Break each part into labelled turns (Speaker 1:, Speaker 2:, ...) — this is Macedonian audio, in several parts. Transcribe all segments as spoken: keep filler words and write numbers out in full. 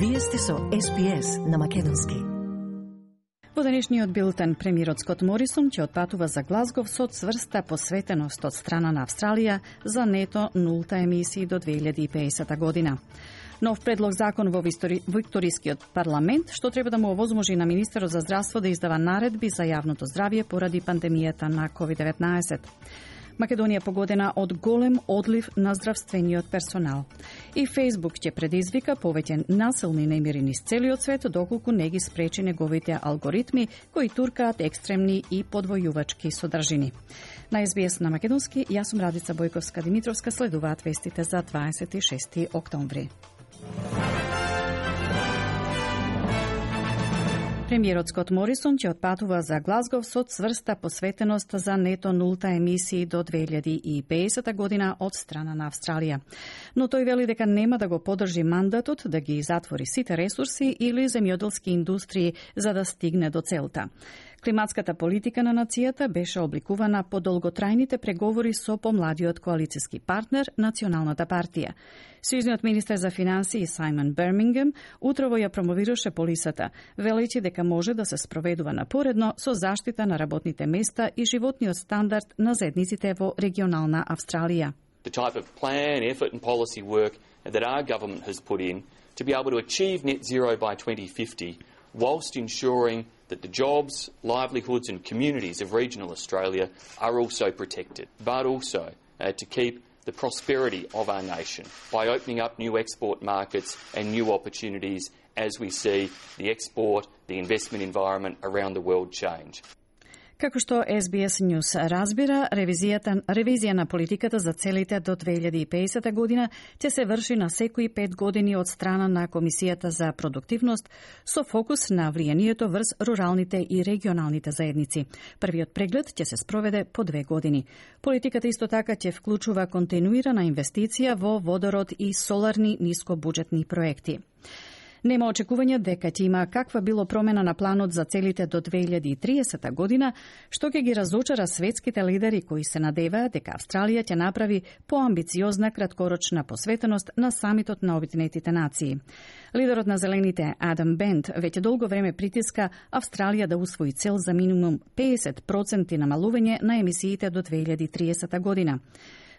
Speaker 1: Вие сте со Ес Би Ес на македонски.
Speaker 2: Во денешниот билтен, премиерот Скот Морисон ќе отпатува за Глазгов со цврста посветеност од страна на Австралија за нето нулта емисии до две илјади и педесета година. Нов предлог закон во Викторискиот парламент, што треба да му овозможи на министерот за здравство да издава наредби за јавното здравје поради пандемијата на ковид деветнаесет. Македонија погодена од голем одлив на здравствениот персонал. И Фејсбук ќе предизвика повеќе насилни немири низ целиот свет, доколку не ги спречи неговите алгоритми кои туркаат екстремни и подвојувачки содржини. На Ес Би Ес на македонски, јас сум Радица Бојковска-Димитровска, следуваат вестите за дваесет и шести октомври. Премиерот Скот Морисон ќе отпатува за Глазгов со цврста посветеност за нето нулта емисии до две илјади и педесета година од страна на Австралија. Но тој вели дека нема да го поддржи мандатот да ги затвори сите ресурси или земјоделски индустрии за да стигне до целта. Климатската политика на нацијата беше обликувана по долготрајните преговори со помладиот коалициски партнер, Националната партија. Сојузниот министер за финансии Сајмон Бермингем утрово ја промовираше полисата, велејќи дека може да се спроведува напоредно со заштита на работните места и животниот стандард на заедниците во регионална Австралија.
Speaker 3: The type of plan, effort and policy work that our government has put in to be able to achieve net zero by twenty fifty whilst ensuring that the jobs, livelihoods and communities of regional Australia are also protected, but also uh, to keep the prosperity of our nation by opening up new export markets and new opportunities as we see the export, the investment environment around the world change.
Speaker 2: Како што Ес Би Ес News разбира, ревизијата, ревизија на политиката за целите до две илјади и педесета година ќе се врши на секои пет години од страна на Комисијата за продуктивност со фокус на влијанието врз руралните и регионалните заедници. Првиот преглед ќе се спроведе по две години. Политиката исто така ќе вклучува континуирана инвестиција во водород и соларни нискобуџетни проекти. Нема очекување дека ќе има каква било промена на планот за целите до две илјади и триесета година, што ќе ги разочара светските лидери кои се надеваат дека Австралија ќе направи поамбициозна краткорочна посветеност на самитот на Обединетите нации. Лидерот на Зелените Адам Бент веќе долго време притиска Австралија да усвои цел за минимум педесет проценти намалување на емисиите до две илјади и триесета година.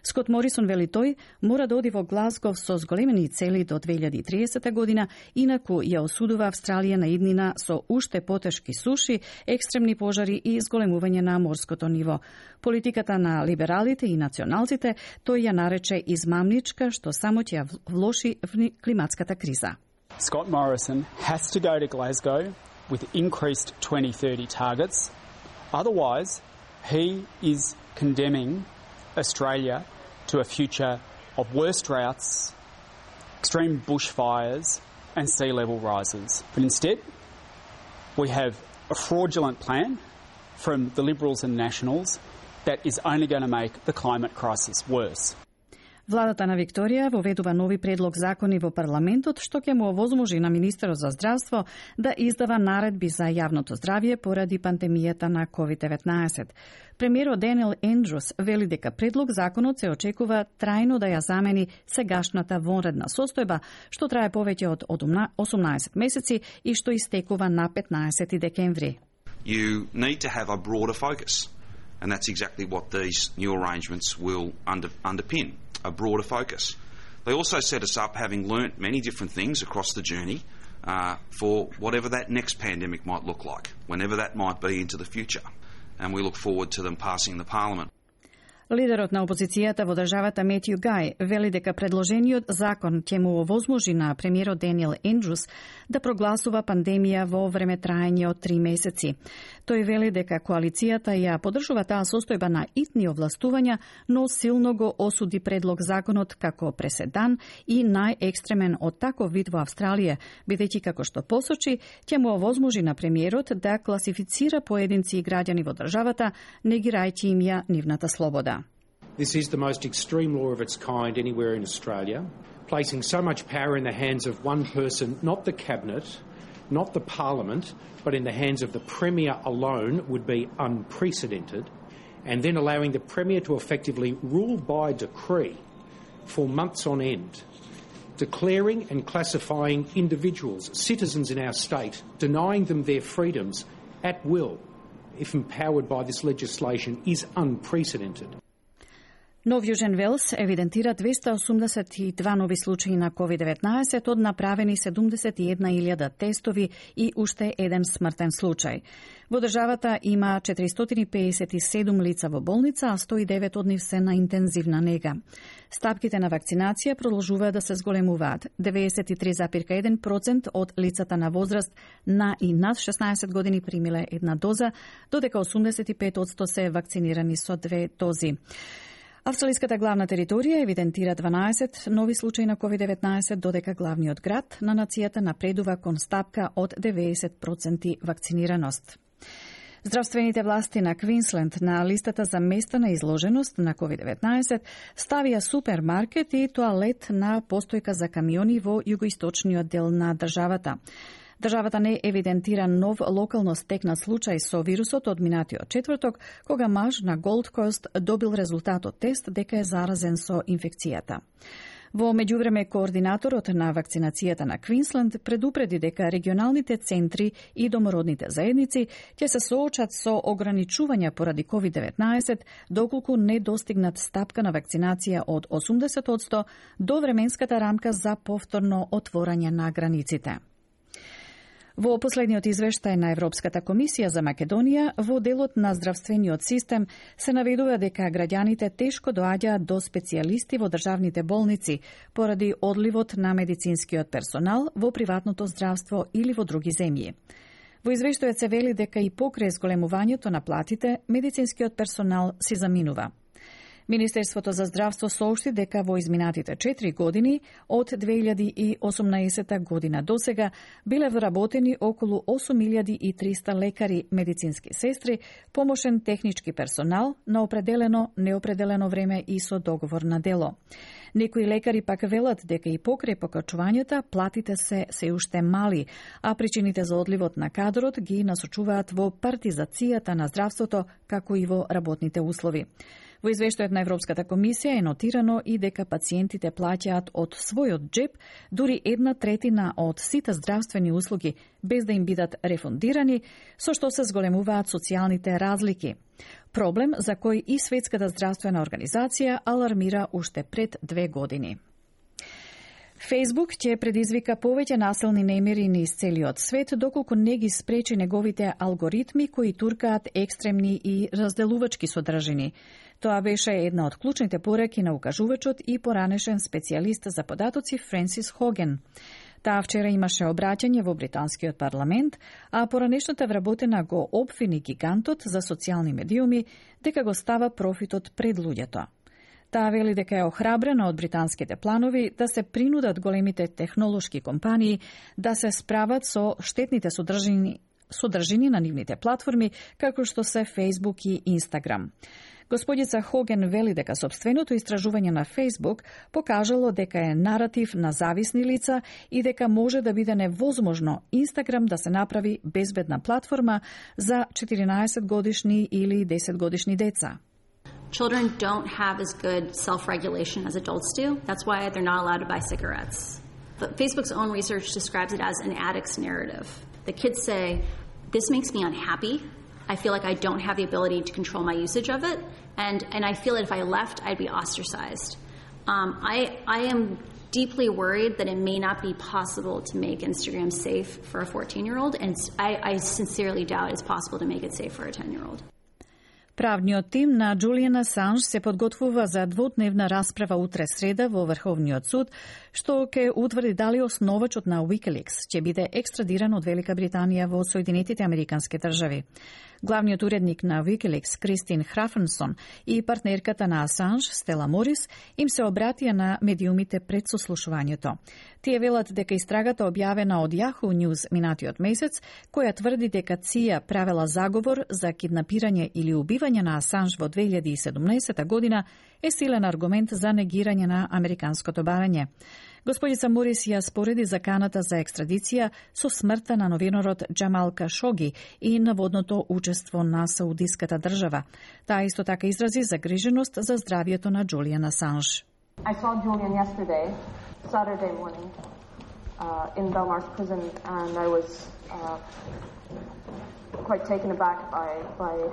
Speaker 2: Скот Морисон вели тој мора да оди во Глазгов со зголемени цели до две илјади и триесета година, инаку ја осудува Австралија на иднина со уште потешки суши, екстремни пожари и зголемување на морското ниво. Политиката на либералите и националците тој ја нарече измамничка, што само ќе ја влоши в климатската криза.
Speaker 4: Scott Morrison has to go to Glasgow with increased twenty thirty targets. Otherwise, he is condemning Australia to a future of worse droughts, extreme bushfires and sea level rises. But instead, we have a fraudulent plan from the Liberals and Nationals that is only going to make the climate crisis worse.
Speaker 2: Владата на Викторија воведува нови предлог закони во парламентот што ќе му овозможи на министерот за здравство да издава наредби за јавното здравје поради пандемијата на ковид деветнаесет. Премиерот Даниел Ендрус вели дека предлог законот се очекува трајно да ја замени сегашната вонредна состојба што трае повеќе од осумнаесет месеци и што истекува на петнаесети декември.
Speaker 5: You need to have a broader focus, and that's exactly what these new arrangements will under, underpin. A broader focus. They also set us up having learnt many different things across the journey uh, for whatever that next pandemic might look like, whenever that might be into the future. And we look forward to them passing the Parliament.
Speaker 2: Лидерот на опозицијата во државата Метју Гај вели дека предложениот закон ќе му овозможи на премиерот Даниел Ендрус да прогласува пандемија во време траење од три месеци. Тој вели дека коалицијата ја поддржува таа состојба на итни овластувања, но силно го осуди предлог законот како преседан и најекстремен од таков вид во Австралија, бидејќи како што посочи, ќе му овозможи на премиерот да класифицира поединци и граѓани во државата, негирајќи им ја нивната слобода.
Speaker 6: This is the most extreme law of its kind anywhere in Australia, placing so much power in the hands of one person, not the Cabinet, not the Parliament, but in the hands of the Premier alone would be unprecedented, and then allowing the Premier to effectively rule by decree for months on end Declaring and classifying individuals, citizens in our state, denying them their freedoms at will, if empowered by this legislation, is unprecedented.
Speaker 2: Нов Јужен Велс евидентира двеста осумдесет и два нови случаи на ковид деветнаесет од направени седумдесет и една илјада тестови и уште еден смртен случај. Во државата има четиристотини и пеесет и седум лица во болница, а сто и девет од нив се на интензивна нега. Стапките на вакцинација продолжуваат да се зголемуваат. деветдесет и три зарез и еден процент од лицата на возраст на и над шеснаесет години примиле една доза, додека осумдесет и пет одсто се вакцинирани со две дози. Австралиската главна територија евидентира дванаесет нови случаи на ковид деветнаесет, додека главниот град на нацијата напредува кон стапка од деветдесет проценти вакцинираност. Здравствените власти на Квинсленд на листата за места на изложеност на ковид деветнаесет ставија супермаркет и тоалет на постојка за камиони во југоисточниот дел на државата. Државата не евидентира нов локално стекнат случај со вирусот од минатиот четврток, кога маж на Голд Кост добил резултат од тест дека е заразен со инфекцијата. Во меѓувреме, координаторот на вакцинацијата на Квинсленд предупреди дека регионалните центри и домородните заедници ќе се соочат со ограничувања поради ковид деветнаесет, доколку не достигнат стапка на вакцинација од осумдесет одсто до временската рамка за повторно отворање на границите. Во последниот извештај на Европската комисија за Македонија, во делот на здравствениот систем се наведува дека граѓаните тешко доаѓаат до специјалисти во државните болници поради одливот на медицинскиот персонал во приватното здравство или во други земји. Во извештајот се вели дека и покрај зголемувањето на платите, медицинскиот персонал си заминува. Министерството за здравство соопшти дека во изминатите четири години, од две илјади и осумнаесета година до сега, биле вработени околу осум илјади и триста лекари, медицински сестри, помошен технички персонал на определено, неопределено време и со договор на дело. Некои лекари пак велат дека и покрај покачувањата платите се се уште мали, а причините за одливот на кадрот ги насочуваат во партизацијата на здравството, како и во работните услови. Во извештајот на Европската комисија е нотирано и дека пациентите плаќаат од својот джеб дури една третина од сите здравствени услуги, без да им бидат рефундирани, со што се зголемуваат социјалните разлики. Проблем за кој и Светската здравствена организација алармира уште пред две години. Facebook ќе предизвика повеќе насилни немири низ целиот свет, доколку не ги спречи неговите алгоритми кои туркаат екстремни и разделувачки содржини. Тоа беше една од клучните пораки на укажувачот и поранешен специјалист за податоци Френсис Хоген. Таа вчера имаше обраќање во британскиот парламент, а поранешната вработена го обвини гигантот за социјални медиуми дека го става профитот пред луѓето. Таа вели дека е охрабрена од британските планови да се принудат големите технолошки компании да се справат со штетните содржини, содржини на нивните платформи, како што се Facebook и Instagram. Господица Хоген вели дека сопственото истражување на Facebook покажало дека е наратив на зависни лица и дека може да биде невозможно Instagram да се направи безбедна платформа за четиринаесет годишни или десет годишни деца.
Speaker 7: Children don't have as good self-regulation as adults do. That's why they're not allowed to buy cigarettes. But Facebook's own research describes it as an addict's narrative. The kids say, this makes me unhappy. I feel like I don't have the ability to control my usage of it. And, and I feel that if I left, I'd be ostracized. Um, I, I am deeply worried that it may not be possible to make Instagram safe for a fourteen-year-old. And I, I sincerely doubt it's possible to make it safe for a ten-year-old.
Speaker 2: Правниот тим на Џулијан Асанж се подготвува за дводневна расправа утре среда во Врховниот суд, што ќе утврди дали основачот на Wikileaks ќе биде екстрадиран од Велика Британија во Соединетите Американски држави. Главниот уредник на Wikileaks, Кристин Храфенсон, и партнерката на Асанж, Стела Морис, им се обратија на медиумите пред сослушувањето. Тие велат дека истрагата објавена од Yahoo News минатиот месец, која тврди дека ЦИА правела заговор за киднапирање или убивање на Асанж во две илјади и седумнаесета година, е силен аргумент за негирање на американското барање. Господица Морис ја спореди заканата за екстрадиција со смртта на новинарот Џамал Кашоги и наводното учество на Саудиската држава. Таа исто така изрази загриженост за здравието на Џулијан Асанж.
Speaker 8: I saw Julian yesterday Saturday morning uh, in Belmarsh prison, and I was uh, quite taken aback by by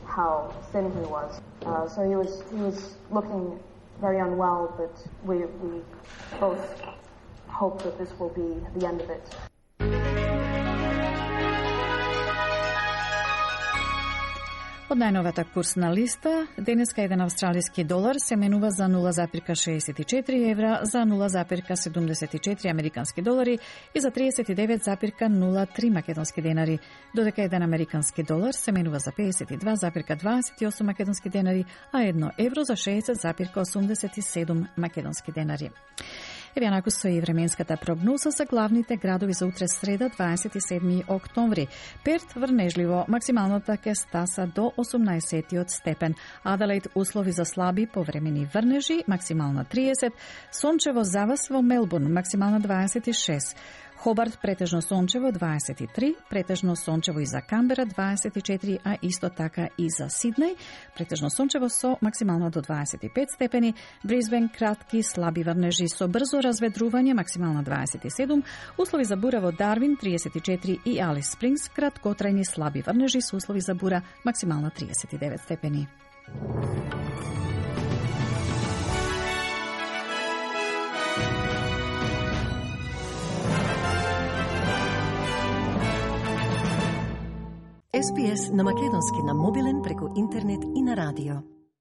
Speaker 8: how thin he was. Uh, so he was he was looking very unwell, but we we both hope that this will be the end of it.
Speaker 2: Од најновата курсна листа, денеска еден австралиски долар се менува за нула запирка шеесет и четири евра, за нула запирка седумдесет и четири американски долари и за триесет и девет запирка нула три македонски денари, додека еден американски долар се менува за пеесет и два запирка дваесет и осум македонски денари, а едно евро за шеесет запирка осумдесет и седум македонски денари. Еве онаку стои временската прогноза за главните градови за утре среда, дваесет и седми октомври. Перт врнежливо, максималната ќе стаса до осумнаесеттиот степен. Аделаид услови за слаби повремени врнежи, максимална триесет. Сончево завас во Мелбурн, максимална дваесет и шест. Хобарт претежно сончево дваесет и три, претежно сончево и за Камбера дваесет и четири, а исто така и за Сиднеј, претежно сончево со максимално до дваесет и пет степени, Брисбен кратки слаби врнежи со брзо разведрување, максимално дваесет и седум, услови за бура во Дарвин триесет и четири и Алис Спрингс краткотрајни слаби врнежи со услови за бура, максимално триесет и девет степени.
Speaker 1: Ес Би Ес на македонски на мобилен преку интернет и на радио.